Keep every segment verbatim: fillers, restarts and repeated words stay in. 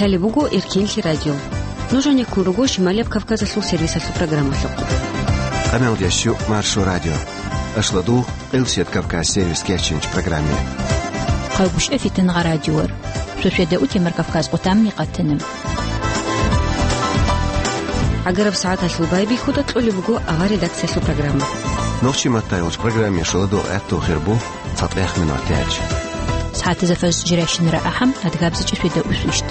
Лъалеб буго Эркенлъи радио. Нуж гьанеккун руго Шималияб Кавказалъул сервисалъул программалъухъ. Къамелдящу Маршо радио. Ашладу Къилсият Кавказ сервис кечинч программе. Хъалгушев Фитнагъа радиор. Шошеда утемар Кавказ къутамни къатана. Агараб сагӀаталъул байбихьуда кьолеб буго авар редакциялъул программа. Нохчи маттайолч программе шоладо гӀатту хирбу цатӀех минут тяч. СагӀатазда фаз жиращинара ахӀам, адгабзичӀи шведа усвищт.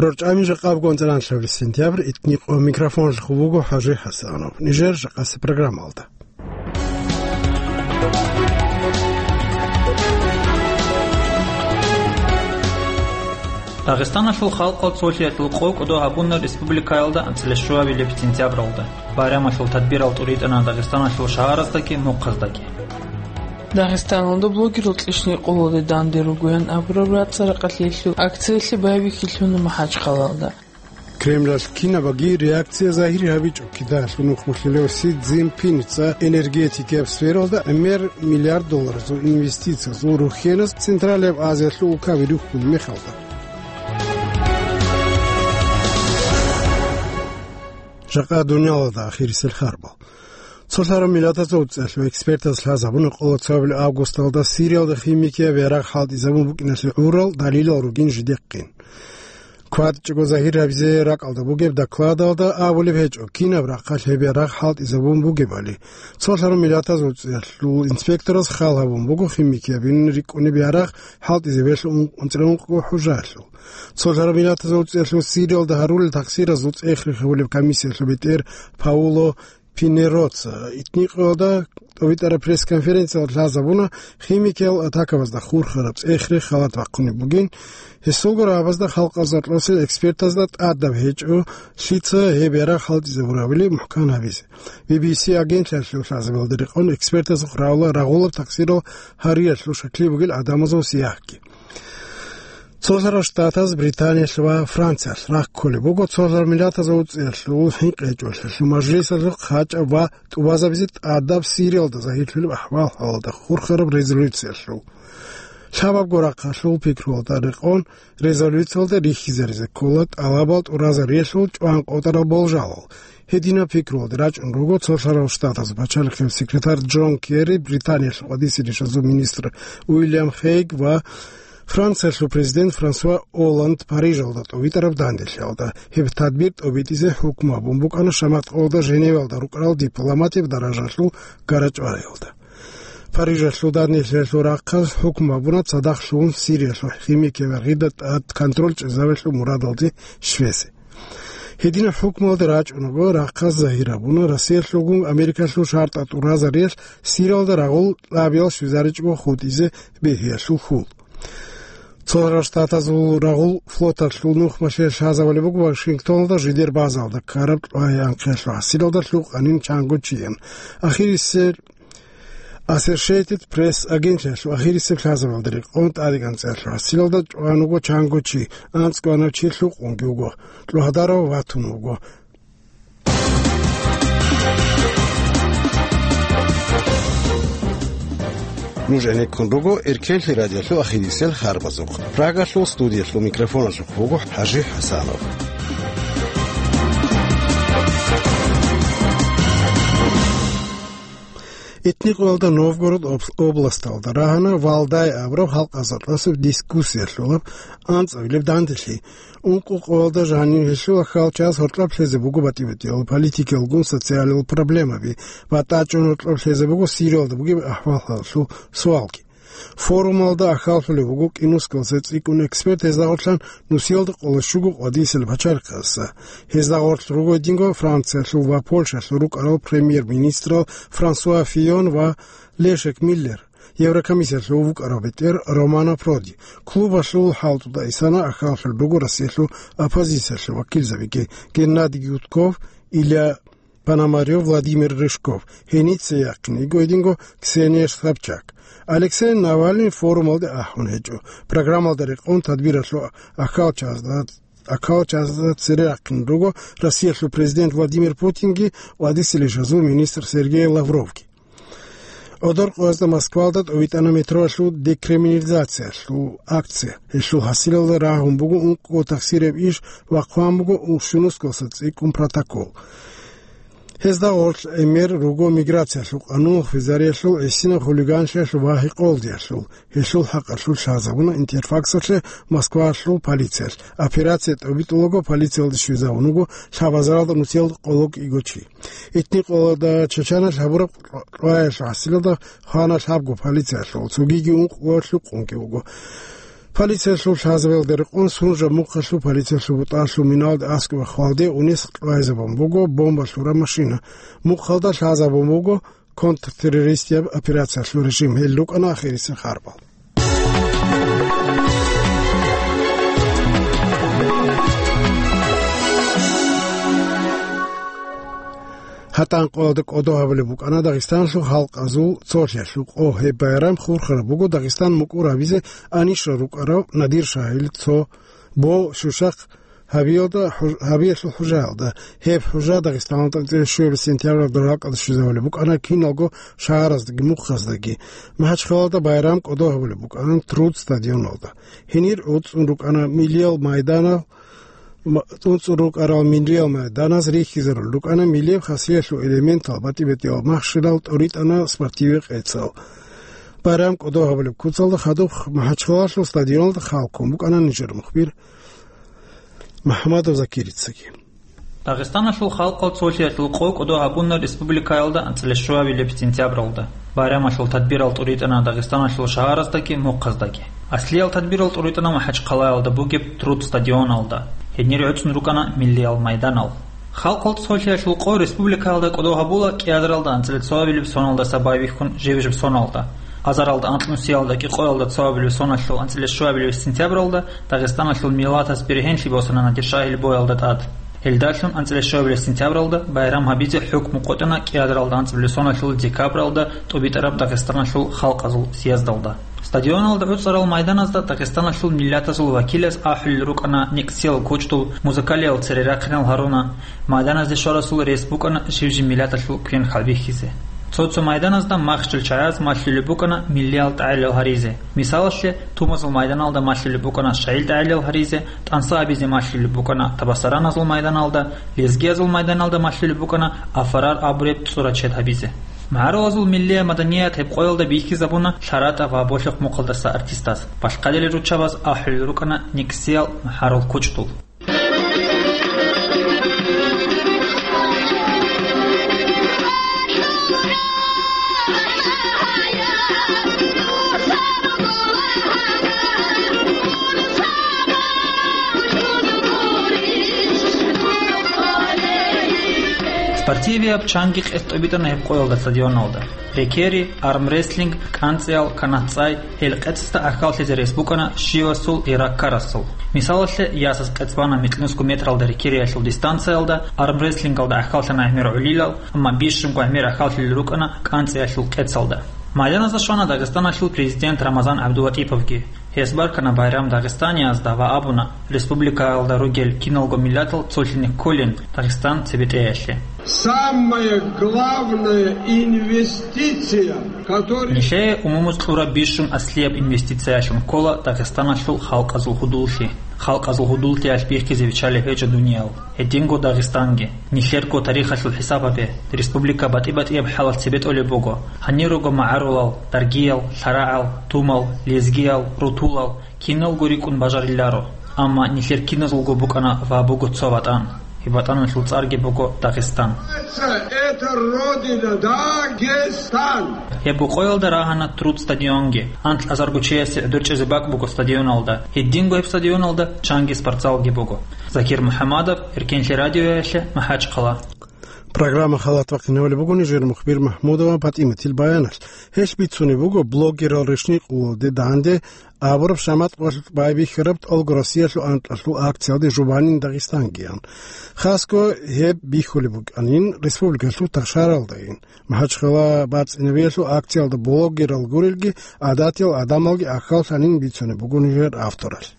РорчӀами жакъаб гонзаранлъабли сентябрь, итни къо микрофонлъ хубуго ХӀажи ХӀасанов. Нижер жакъаси программалда. Дагъистаналъул халкъал цолъиялъул къо кӀодо гьабуна республикаялда анцӀила щуабилеб сентябралда. Байрамалъул тадбирал тӀуритӀана Дагъистаналъул шагьараздаги мухъаздаги. Дагъистаналда блогерал кьишни къулалде данде ругоян абураб рацӀцӀа-ракъалъиялъул акциялъе байбихьилъуна МахӀачхъалалда. Кремлалъ кинабаги реакция загьир гьабичӀо кидаялъул нухмулъилев Си Цзиньпинца энергетикияб сфералда гӀемер миллиард долларазул инвестициязул рухьенас Централияб Азиялъул улкаби рухьун мехалда. Жакъа дуниялалда ахирисел харбал. Цолъараб Миллатазул ЦӀехьлъи экспертаз лъазабуна къоло цоабилеб августалда Сириялда химикияб ярагъ хӀалтӀизабун букӀиналъе гӀурал далилал ругин жидехъин. КватӀчӀого загьир гьабизе ракӀалда бугеб докладалда абулеб гьечӀо, кинаб рахъалъ гьеб ярагъ хӀалтӀизабун бугебали. Цолъараб Миллатазул ЦӀехьлъул инспектораз хал гьабун буго химикиябин рикӀкӀунеб ярагъ хӀалтӀизабиялъул ункъ-, ункъо хӀужаялъул. Цолъараб Миллатазул ЦӀехьлъул Сириялда гьарулел тахсиразул цӀех рехсолеб комиссиялъул бетӀер Пауло Пинероца итни къоялда тӀобитӀараб пресс-конференциялда лъазабуна химикиял атакабазда хурхараб цӀех рехсолеб халат бахъунеб бугин. Гьесулго рагӀабазда халкъалъул заркьалъул экспертазда тӀадаб гьечӀо, лъица гьеб ярагъ хӀалтӀизабурабали мухӀкан гьабизе. Би би си агентлъиялъул лъазабиялда рекъон экспертаз рагъула рагъулаб тахсирал гьариялъул шаклъи бугел гӀадамазул сияхъги. Цолъарал Штатаз, Британиялъ ва Франциялъ рахъ кколеб буго Цолъарал Миллатазул ЦӀехьлъул ХӀинкъичӀолъиялъул мажлисалъул хъачӀаб ва тӀубазабизе тӀадаб Сириялда загьирлъулеб ахӀвал-хӀалалда хурхараб резолюциялъул. Лъабабго рахъалъул пикруялда рекъон резолюциялда рихьизаризе ккола тӀалабал тӀуразариялъул чӀван къотӀарал болжалал. Гьединаб пикруялде рачӀун руго Цолъарал Штатазул пачалихъе секретарь Джон Керри, Британиялъул къвадисе ришазул министр Уильям Хейг ва Франциялъул президент Франсуа Олланд Парижалда тӀовитӀараб данделъиялда. Гьеб тадбир тӀобитӀизе хӀукму гьабун букӀана шамат къоялда Женевалда рукӀарал дипломатияб даражалъул гарачӀвариялда. Парижалъул данделъиялъул рахъалъ хӀукму гьабуна цадахъ лъугьун Сириялъул химикияб ярагъида тӀад контроль чӀезавелъул мурадалде щвезе. Гьединаб хӀукмуялде рачӀунаго рахъалъ загьир гьабуна Россиялъулгун Америкалъул шартӀал тӀуразариялъ Сириялда рагъул лъабиял щвезаричӀого хутӀизе бегьиялъул хьул. Цолъарал Штатазул рагъул флоталъул нухмалъе лъазабулеб буго Вашингтоналда жидер базалда ккараб кьвагьи анхъиялъул хӀасилалда лъукъанин чанго чиян. Ахирисел Associated Press агентлъиялъул ахирисеб лъазабиялда рекъон тӀадегӀанцӀиялъул хӀасилалда чӀван вуго чанго чи, анцӀгоанав чи лъукъунги вуго, кьвагьадарав ватун вуго. Нуж гӀенеккун руго Эркенлъи радиолъул ахирисел харбазухъ. Прагалъул студиялъул микрофоналъухъ вуго ХӀажи ХӀасанов. Итни къоялда Новгород об-, областалда рагьана Валдай абураб халкъазда тӀасаб дискуссиялъулаб анцӀабилеб данделъи. Ункъо къоялда жанив гьелъул ахал час гьоркьоб лъезе буго батӀи-батӀиял политикиялгун социалил проблемаби ва тӀачӀун гьоркьоб лъезе буго Сириялда бугеб ахӀвал-хӀалалъул суалги. Форумалда ахаллъулеб буго кӀинусгалъе цӀикӀкӀун эксперт, гьезда гъорлъан нусиялда къоло щуго къвадисел пачалихъаса. Гьезда гъорлъ руго гьединго Франциялъул ва Польшалъул рукӀарал премьер-министрал Франсуа Фийон ва Лешек Миллер, Еврокомиссиялъул вукӀарав бетӀер Романо Проди. Клубалъул хӀалтӀуда исана ахаллъулел руго Россиялъул оппозициялъул вакилзабиги: Геннадий Гудков, Илья Пономарёв, Владимир Рыжков, гьеница яхъин йиго гьединго Ксения Собчак. Алексей Навальный форумалде ахӀун гьечӀо. Программалда рекъон тадбиралъул ахал чазда, ахал чазда цере рахъин руго Россиялъул президент Владимир Путинги ва Дагъистаналъул министр Сергей Лавровги. ГӀодор къоязда Москвалда тӀовитӀана метроялъул декриминализациялъул акция. Гьелъул хӀасилалда рагьун буго ункъго тахсираб иш ва хъван буго ун-, щунусгалъа цӀикӀкӀун протокол. Гьезда гъорлъ гӀемер руго миграциялъул къануналъ, хвезариялъул, гӀисинаб хулиганлъиялъул ва гьекъолдиялъул. Гьелъул хӀакъалъулъ лъазабуна Интерфаксалъе Москвалъул полициялъ. Операция тӀобитӀулаго полициялде щвезавун вуго лъабазаралда нусиялда къоло кӀиго чи. Итни къоялда Чачаналъ гьабураб кьваялъул хӀасилалда хвана лъабго полициялъул, цогиги ункъго лъукъунги вуго. Полициялъул лъазабиялда рекъон сунжаб мухъалъул полициялъул бутӀалъул миналде аскӀоб хвалде унес кьвайзабун буго бомба лъураб машина. Мухъалда лъазабун буго контртеррористияб операциялъул режим. Гьел рукӀана ахирисеб харбал. ГьатӀан къоялда кӀодо гьабулеб букӀана Дагъистаналъул халкъазул цолъиялъул къо. Гьеб байрам хурхараб буго Дагъистан мукӀур гьабизе анищал рукӀарав Надир Шагьил цо бо щущахъ гьабиялда хӀуж-, гьабиялъул хӀужаялда. Гьеб хӀужа Дагъистаналда анцӀила щуабилеб сентябралда ракӀалде щвезавулеб букӀана киналго шагьараздаги мухъаздаги. МахӀачхъалалда байрам кӀодо гьабулеб букӀана Труд стадионалда. Гьенир уцӀцӀун рукӀана миллиял майданал, ма-, уцӀцӀун рукӀарал миллиял майданаз рихьизарулел рукӀана миллияб хасиялъул элементал, батӀи-батӀиял махщелал тӀуритӀана спортивный къецал. Байрам кӀодо гьабулеб куцалда хадуб МахӀачхъалалъул стадионалда хал ккун букӀана нижер мухбир МухӀамадов Закирицаги. Дагъистаналъул халкъал цолъиялъул къо кӀодо гьабуна республикаялда анцӀила щуабилеб сентябралда. Байрамалъул тадбирал тӀуритӀана Дагъистаналъул шагьараздаги мухъаздаги. Аслиял тадбирал тӀуритӀана МахӀачхъалаялда бугеб Труд стадионалда. Гьенир гӀуцӀун рукӀана миллиял майданал. Халкъал цолъиялъул къо республикаялда кӀодо гьабула кӀиазаралда анцӀила цоабилеб соналдаса байбихьун жиб-жиб соналда. Азаралда анкьнусиялда кӀикъоялда цоабилеб соналъул анцӀила щуабилеб сентябралда Дагъистаналъул миллатас бергьенлъи босана Надир Шагьил боялда тӀад. Гьелдалъун анцӀила щуабилеб сентябралда байрам гьабизе хӀукму къотӀана кӀиазаралда анцӀила соналъул декабралда тӀубитӀараб Дагъистаналъул халкъазул съездалда. Стадионалда гӀуцӀарал майданазда Дагъистаналъул миллатазул вакилас ахӀулел рукӀана никӀсиял кучӀдул, музыкалиял цере рахъинал гьаруна, майданазде щварасул рес букӀана жив-жив миллаталъул квен хӀалбихьизе. Цо-цо майданазда махщел чагӀаз малъулеб букӀана миллиял тӀагӀелал гьаризе. Мисалалъе, Тумазул майданалда малъулеб букӀана шагьил тӀагӀелал гьаризе, тӀанса гьабизе малъулеб букӀана табасараназул майданалда, лезгиязул майданалда малъулеб букӀана афарар абуреб цӀура чед гьабизе. МагӀарулазул миллия маданият гьеб къоялда бихьизабуна лъаратӀа ва болъихъ мухъалдаса артистаз. Балъкъадилел руччабаз ахӀулел рукӀана никӀсиял магӀарул кучӀдул. Спортивияб чанги къец тӀобитӀана гьеб къоялда стадионалда. Рекери, армрестлинг, кӀанцӀиял, канат-цӀай, гьел къецасда гӀахьаллъизе рес букӀана щивасул, гьираккарасул. Мисалалъе, ясас къец бана микьнусго метралда рекериялъул дистанциялда, армрестлингалда гӀахьаллъана гӀемер гӀолилал, амма бищунго гӀемер гӀахьаллъулел рукӀана кӀанцӀиялъул къецалда. Майданазда щвана Дагъистаналъул президент Рамазан ГӀабдулатӀиповги. Гьес баркана байрам дагъистаниязда ва абуна, республикаялда ругел киналго миллатал цолъине кколин Дагъистан цебетӀеялъе. Самая главная инвестиция, которая... Нилъее умумуз кьураб бищун аслияб инвестициялъун ккола Дагъистаналъул халкъазул гьудуллъи. Халкъазул гьудуллъиялъ бихьизе биччалеб гьечӀо дуниял. Гьединго Дагъистанги. Нилъерго тарихалъул хӀисаб гьабе, республика батӀи-батӀияб хӀалалъ цебетӀолеб буго. Гьанир руго магӀарулал, даргиял, лъарагӀал, тумал, лезгиял, рутулал, киналго рикӀкӀун бажариларо. Амма нилъер киназулго букӀана ва буго цо ватӀан. Гьеб ватӀаналъул цӀарги буго Дагъистан. Это родина, Дагестан! Гьеб къоялда рагьана Труд стадионги. Анкь азарго чиясе гӀодор чӀезе бакӀ буго стадионалда. Гьединго гьеб стадионалда чанги спортзалги буго. Закир МухӀамадов, Эркенлъи радиоялъе, МахӀачхъала. Программа халат вахъинавали буго нижер мухбир Махмудова ПатӀиматил баяналъ. Гьелъ бицунеб буго блогерал рещтӀинкъулалде данде абураб шамат къоялъ байбихьараб тӀолго Россиялъул анкьалъул акциялде «Жубанин Дагъистангиян». Хасго гьеб бихьулеб букӀанин республикалъул ташаралдайин. МахӀачхъала бацӀцӀинабиялъул акциялда блогерал гурелги, гӀадатиял гӀадамалги ахьаллъанин бицунеб буго нижер авторалъ.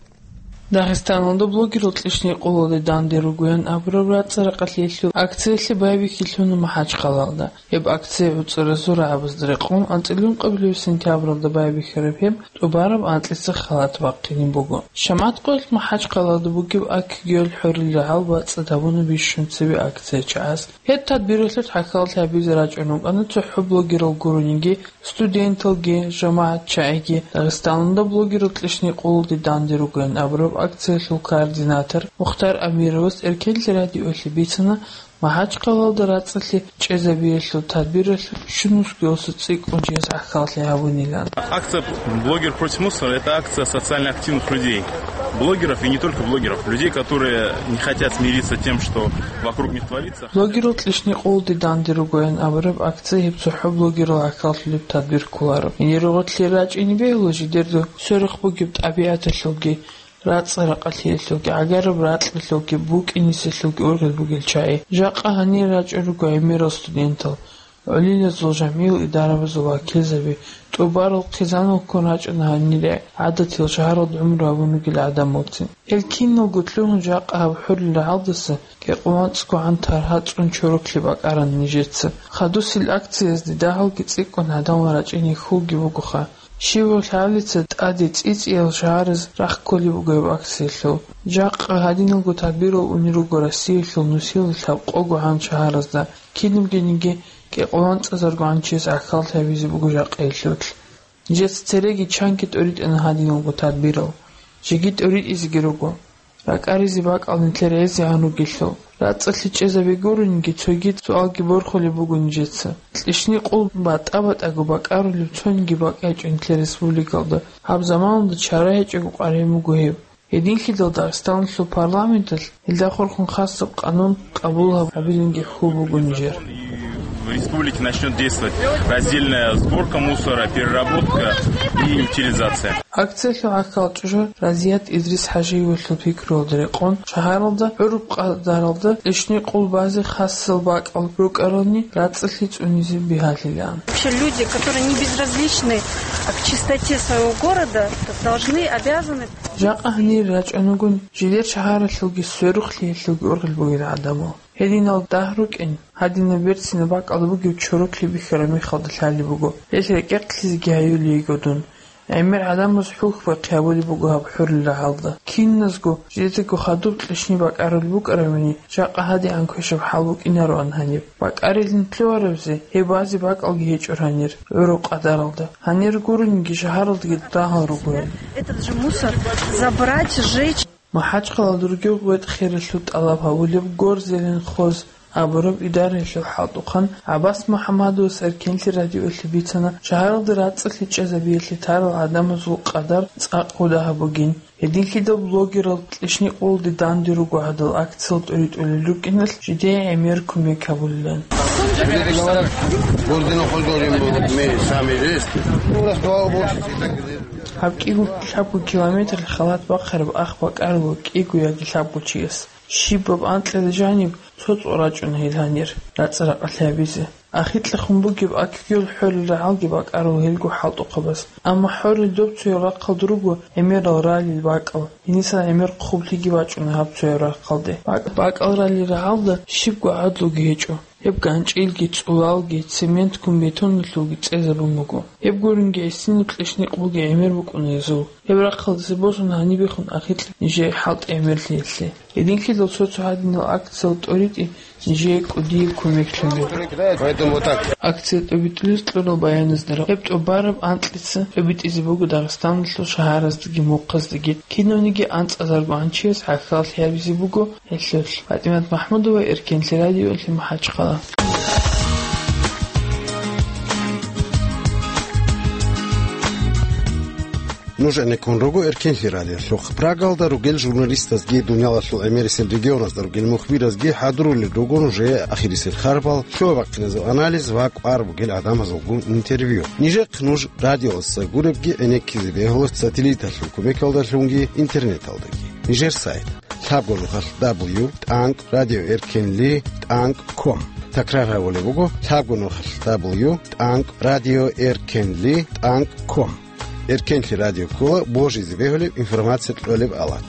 Дагъистаналда блогерал кьишни къулалде данде ругоян абураб рацӀцӀа-ракъалъиялъул акциялъе байбихьилъуна МахӀачхъалалда. Гьеб акция гӀуцӀаразул рагӀабазда рекъон анцӀила ункъабилеб сентябралда байбихьараб гьеб тӀубараб анкьица халат бахъинаб буго. ШаматӀ къоялъ МахӀачхъалалда бугеб АКГ-ял хӀорил рагӀал бацӀцӀад гьабуна бищун цебе акция чагӀаз. Гьеб тадбиралъулъ гӀахьаллъи гьабизе рачӀун рукӀана цохӀо блогерал гурониги, студенталги, жамагӀатчагӀиги. Дагъистаналда блогерал кьишни къулалде данде ругоян абураб акциялъул координатор Мухтар Амировас Эркенлъи радиоялъе бицана, МахӀачхъалалда рацӀцӀалъи чӀезабиялъул тадбиралъ щунусгоялъул цӀикӀкӀун чияс гӀахьаллъи гьабунилан. Акция «Блогер против мусора» — это акция социально активных людей, блогеров и не только блогеров, людей, которые не хотят смириться тем, что вокруг них творится. Блогерал кьишни къулалде данде ругоян абураб акция гьеб цохӀо блогерал гӀахьаллъулеб тадбир кколаро. Гьенир гъорлъе рачӀине бегьула жидерго сверухъ бугеб тӀабигӀаталъулги, рацӀцӀа-ракъалъиялъулги, гӀагараб ракьалъулги, букӀиниселъулги ургъел бугел чагӀи. Жакъа гьанир рачӀун руго гӀемерал студентал, гӀолилазул жамгӀиял идарабазул вакилзаби, тӀубарал хъизанал ккун рачӀана гьанир гӀадатиял шагьаралда гӀумру гьабун ругел гӀадамалцин. Гьел киналго лъугьун жакъа гьаб хӀорил рагӀалдаса кӀикъоялда анцӀгогӀан таргьа цӀун чороклъи бакӀарана нижеца. Хадусел акциязде дагьалги цӀикӀкӀун гӀадамал рачӀине хьулги бугоха. Щибаб лъабница тӀаде цӀицӀиял шагьараз рахъ кколеб буго гьеб акциялъул. Жакъа гьадиналго тадбирал унел руго Россиялъул нусилал лъабкъогогӀан шагьаразда, кинабгениги кӀикъоялда анцӀазаргогӀан чияс гӀахьаллъи гьабизе буго жакъа гьелъулъ. Нижеца цереги чанги тӀоритӀана гьадиналго тадбирал. Жеги тӀоритӀизеги руго. РакӀаризе бакӀал нилъер гӀезегӀан ругелъул. РацӀцӀалъи чӀезаби гурониги, цоги суалги борхулеб буго нижеца. Кьишни къул батӀа-батӀаго бакӀарулеб цониги бакӀ гьечӀо нилъер республикалда. Гьаб заманалда чара гьечӀого къваригӀун буго гьеб. Гьединлъидал Дагъистаналъул парламенталъ гьелда хурхун хасаб къанун къабул гьаб-, гьабилинги хьул буго нижер. В республике начнёт действовать раздельная сборка мусора, переработка и утилизация. Акциялъул гӀахьал чӀужу Разият Идрис ХӀажиевалъул пикруялда рекъон, шагьаралда гӀураб къадаралда кьишни къул базе хасал бакӀал рукӀарални, рацӀцӀалъи цӀунизе бигьалъилаан. Вообще люди, которые не безразличны к чистоте своего города, должны, обязаны. Жакъа гьанир рачӀунагун, жидер шагьаралъулги сверухълъиялъулги ургъел бугел гӀадамал. Гьединал дагь рукӀин, гьадинаб берцинаб бакӀал бугеб чороклъи бихьараб мехалда лъалеб буго. Гьелъ рекӀекълъизеги гьаюлейго дун. ГӀемер гӀадамаз хӀухьбахъи гьабулеб буго гьаб хӀурил рагӀалда. Киназго жидедаго хадуб кьишни бакӀарулеб букӀарабани, жакъа гьадигӀан квешаб хӀал букӀинароан гьаниб. БакӀарилин лъугьарабзи, гьеб базе бакӀалги гьечӀо гьанир, гӀураб къадаралда. Гьанир гурониги, шагьаралдаги дагьал ругоян. Этот же мусор забрать, сжечь. МахӀачхъалалда ругев гъветӀ-хералъул тӀалаб гьабулеб Горзеленхоз абураб идараялъул хӀалтӀухъан ГӀаббас МухӀаммадовас Эркенлъи радиоялъе бицана, шагьаралда рацӀцӀалъи чӀезабиялъе тарал гӀадамазул къадар цӀакъ гьудагьаб бугин. Гьединлъидал блогерал кьишни къулалде данде руго гьадал акциял тӀоритӀулел рукӀиналъ жидее гӀемер кумек гьабулилан. Люди говорят, Горзеленхоз говорим, мы сами жесть. У нас два уборщика и так далее. Гьаб кӀиго лъабго километр халат бахъараб ах бакӀараб кӀиго яги лъабго чияс. Щибаб анкьида жаниб цо цӀо рачӀуна гьел гьанир, рацӀцӀа-ракъалъи гьабизе. Ахикьахун бугеб АКГ-ял хӀорил рагӀалги бакӀарал гьелго хӀалтӀухъабаз. Амма хӀорил доб цояв рахъалда руго гӀемерал ралил бакӀал. Гьенисан гӀемер хъублъиги бачӀуна гьаб цояв рахъалде. БакӀ-, бакӀал ралил рагӀалда щибго гӀадлуги гьечӀо. Гьеб ганчӀилги, цӀулалги, цементгун бетоналъулги цӀезабун буго. Гьеб гуринги гӀисинаб кьишни къулги гӀемер букӀуна гьезул. Гьеб рахъалдаса босун гьанибехун ахикьа нижее хӀалтӀи гӀемерлъиялъе. Гьединлъидал цо-цо гьадинал акциял тӀоритӀи нижее кӀудияб кумеклъун буго. Поэтому вот так. Акция тӀобитӀулез кьурал баяназда гьеб тӀубараб анкьица тӀобитӀизе буго Дагъистаналъул шагьараздаги мухъаздаги. Кинавниги анцӀазарго гӀанчияс гӀахьаллъи гьабизе буго. Гьелъулъ ПатӀимат МахӀмудова, Эркенлъи радиоялъе, МахӀачхъала. Нуж гӀенеккун руго Эркенлъи радиолъухъ. Прагалда ругел журналистазги, дуниялалъул гӀемерисел регионазда ругел мухбиразги хӀадурулел руго нужее ахирисел харпал, лъугьа-бахъиназул анализ ва кӀвар бугел гӀадамазулгун интервью. Нижехъ нуж радиоялдаса гуребги гӀенеккизе бегьула сателлиталъул кумекалдалъунги интернеталдаги. Нижер сайт: лъабго нухалъ дабл ю тӀанкӀ радио эркенли тӀанкӀ ком. Такрар гьабулеб буго: лъабго нухалъ дабл ю тӀанкӀ радио эркенли тӀанкӀ ком. Эркенлъи радио ккола божизе бегьулеб информация кьолеб алат.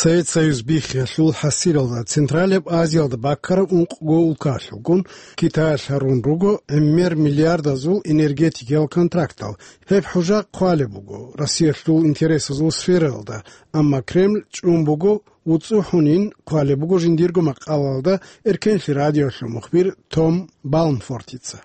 Совет Союз биххиялъул хӀасилалда Централияб Азиялда баккараб ункъго улкалъулгун Китаялъ гьарун руго гӀемер миллиардазул энергетикиял контрактал. Гьеб хӀужа хъвалеб буго Россиялъул интересазул сфералда, амма Кремль чӀун буго, вуцӀцӀухӀунин хъвалеб буго жиндирго макъалалда Эркенлъи радиоялъул мухбир Том Балмфортица.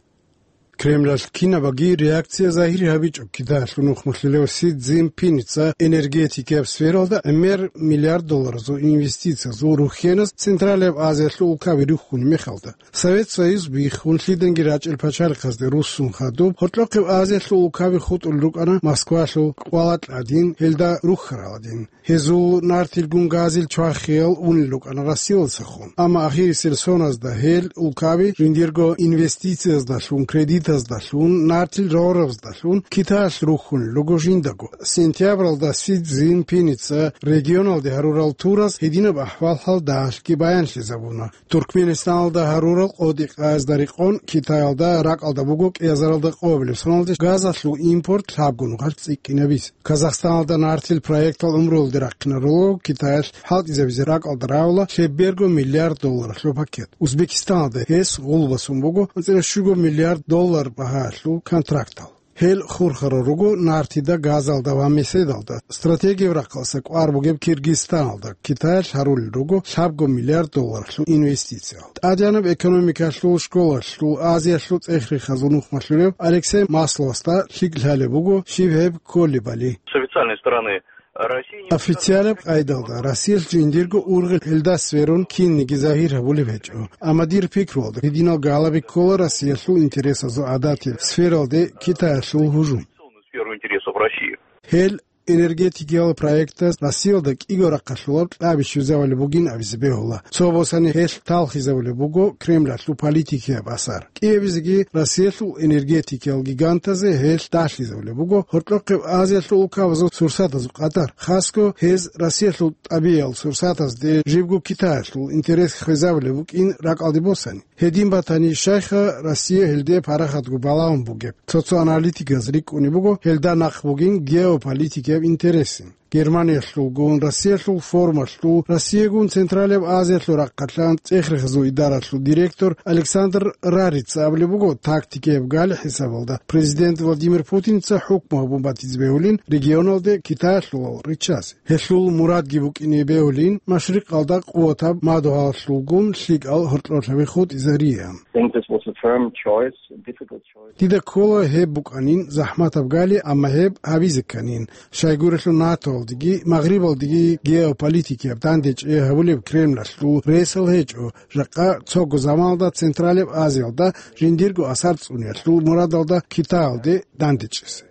Кремлалъ кинабаги реакция загьир гьабичӀо Китаялъул нухмалъулев Си Цзиньпиница энергетикияб сфералда гӀемер миллиард долларазул инвестициязул рухьенас Централияб Азиялъул улкаби рухьунеб мехалда. Совет Союз биххун лъиданги рачӀел пачалихъазде руссун хадуб, гьоркьохъеб Азиялъул улкаби хутӀулел рукӀана Москвалъул кӀвала кьадин, гьелда рухьарал гӀадин. Гьезул нартилгун газил чвахиял унел рукӀана Россиялдасахун. Амма ахирисел соназда гьел улкаби жиндирго инвестицияздалъун, кредитаздалъун, нартил рорабаздалъун Китаялъ рухьунел руго жиндаго. Сентябралда Си Цзиньпиница регионалде гьарурал тураз гьединаб ахӀвал-хӀал дагьалъги баянлъизабуна. Туркменистаналда гьарурал къотӀи-къаязда рекъон Китаялда ракӀалда буго кӀиазаралда къоабилеб соналде газалъул импорт лъабго нухалъ цӀикӀкӀинабизе. Казахстаналда нартил проектал гӀумруялде рахъинарулго Китаялъ хӀалтӀизабизе ракӀалда равила лъеберго миллиард долларалъул пакет. Узбекистаналда гьес гъулбасун буго анцӀила щуго миллиард доллар багьаялъул контрактал. Гьел хурхарал руго нартида, газалда ва меседалда. Стратегияб рахъалъа кӀвар бугеб Киргизстаналда Китаялъ гьарулел руго лъабго миллиард долларалъул инвестициял. ТӀадегӀанаб экономикалъул школалъул Азиялъул цӀех-рехазул нухмалъулев Алексей Масловасда лъикӀ лъалеб буго щиб гьеб кколебали. С официальной стороны Россия не... Официалаб къайдалда Россиялъ жиндирго ургъел гьелда сверун кинниги загьир гьабулеб гьечӀо. Амма дир пикруялда гьединал гьалаби ккола Россиялъул интересазул гӀадатил сфералде Китаялъул гьужум. Сферу интересов России. Гьел энергетикиял проектаз Россиялда кӀиго рахъалъулаб кьаби щвезавулеб бугин абизе бегьула. Цо босани гьелъ талхизавулеб буго Кремлалъул политикияб асар. КӀиабизеги Россиялъул энергетикиял гигантазе гьелъ далъизавулеб буго гьоркьохъеб Азиялъул улкабазул сурсатазул къадар. Хасго гьез Россиялъул тӀабигӀиял сурсатазде жибго Китаялъул интерес хвезабулеб букӀин ракӀалде босани. Гьедин батани, щайха Россия гьелде парахатго балагьун бугеб? Цо-цо аналитиказ рикӀкӀунеб буго гьелда нахъ бугин геополитикияб интересин. Германиялъулгун, Россиялъул формалъул, Россиягун Централияб Азиялъул рахъалъан цӀех-рехазул идаралъул директор Александр Рарица абулеб буго, тактикияб гали хӀисабалда президент Владимир Путинца хӀукму гьабун батизе бегьулин регионалде Китаялъулал риччазе. Гьелъул мурадги букӀине бегьулин машрикъалда къуватаб мадугьаллъулгун лъикӀал гьоркьорлъаби хутӀизариан. Think this was a firm choice, a difficult choice. Дида ккола гьеб букӀанин захӀматаб гали, амма гьеб гьабизе кканин. Щайгурелъул НАТОалдеги Магърибалдеги геополитикияб дандечӀей гьабулеб Кремлалъул ресал гьечӀо, жакъа цого заманалда Централияб Азиялда жиндирго асар цӀуниялъул мурадалда Китаялде дандечӀезе.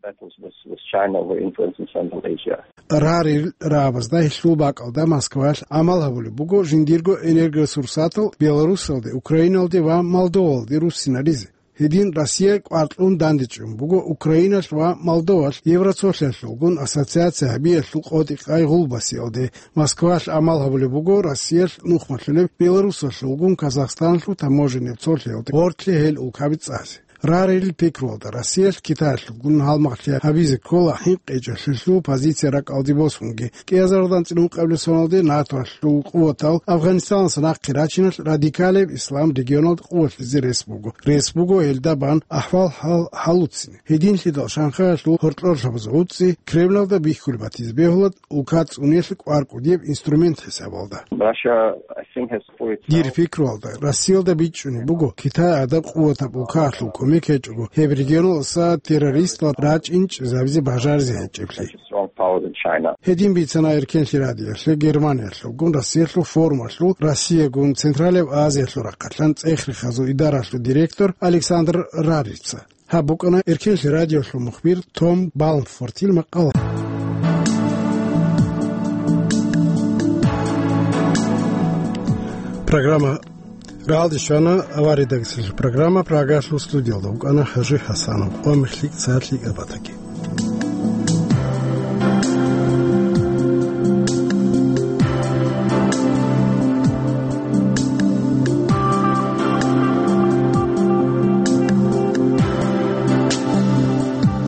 Battles with, with China over influence in Central Asia. Рарил рабазда гьелъул бакӀалда Москвалъ гӀамал гьабулеб буго жиндирго энергоресурсатал Беларусалде, Украиналде ва Молдовалде руссинаризе. Гьедин Россия кӀвар кьун дандечӀун буго Украиналъ ва Молдовалъ Евроцолъиялъулгун ассоциация гьабиялъул къотӀи-къай гъулбасиялде. Москвалъ гӀамал гьабулеб буго Россиялъ нухмалъулеб Беларусалъулгун Казахстанлъул таможенный цолъиялде гъорлъе гьел улкаби цӀазе. Рарил пикруялда Россиялъ Китаялъулгун гьалмагълъи гьабизе ккола хӀинкъичӀелъулъул позиция ракӀалде босунги. КӀиазаралда анцӀила ункъабилеб соналде НАТОалъул къуватал Афганистаналдаса нахъе рачиналъ радикалияб ислам регионалда къувалъизе рес буго. Рес буго гьелда бан ахӀвал-хӀал гьалуцине. Гьединлъидал шанхаялъул гьоркьорлъабаз гӀуцӀи Кремлалда бихьулеб батизе бегьула улка цӀуниялъе кӀвар кӀудияб инструмент хӀисабалда. Russia, I think, has for itself... Дир пикруялда, Россиялда бичӀчӀунеб буго, Китай гӀадаб къуватаб улкаялъул кумек гьечӀого, гьеб регионалдаса террористал рачӀинчӀезабизе бажаризе гьечӀеблъи. Such a strong power than China. Гьедин бицана Эркенлъи радиоялъе Германиялъулгун Россиялъул формалъул Россиягун Централияб Азиялъул рахъалъан цӀех-рехазул идаралъул директор Александр Рарица. Гьаб букӀана Эркенлъи радиоялъул мухбир Том Балмфортил макъала. Программа рагӀалде щвана, авария дагицелъул программа, Прагалъул студиялда вукӀана ХӀажи ХӀасанов. Къо-мех лъикӀ, цӀар лъикӀаб батаги.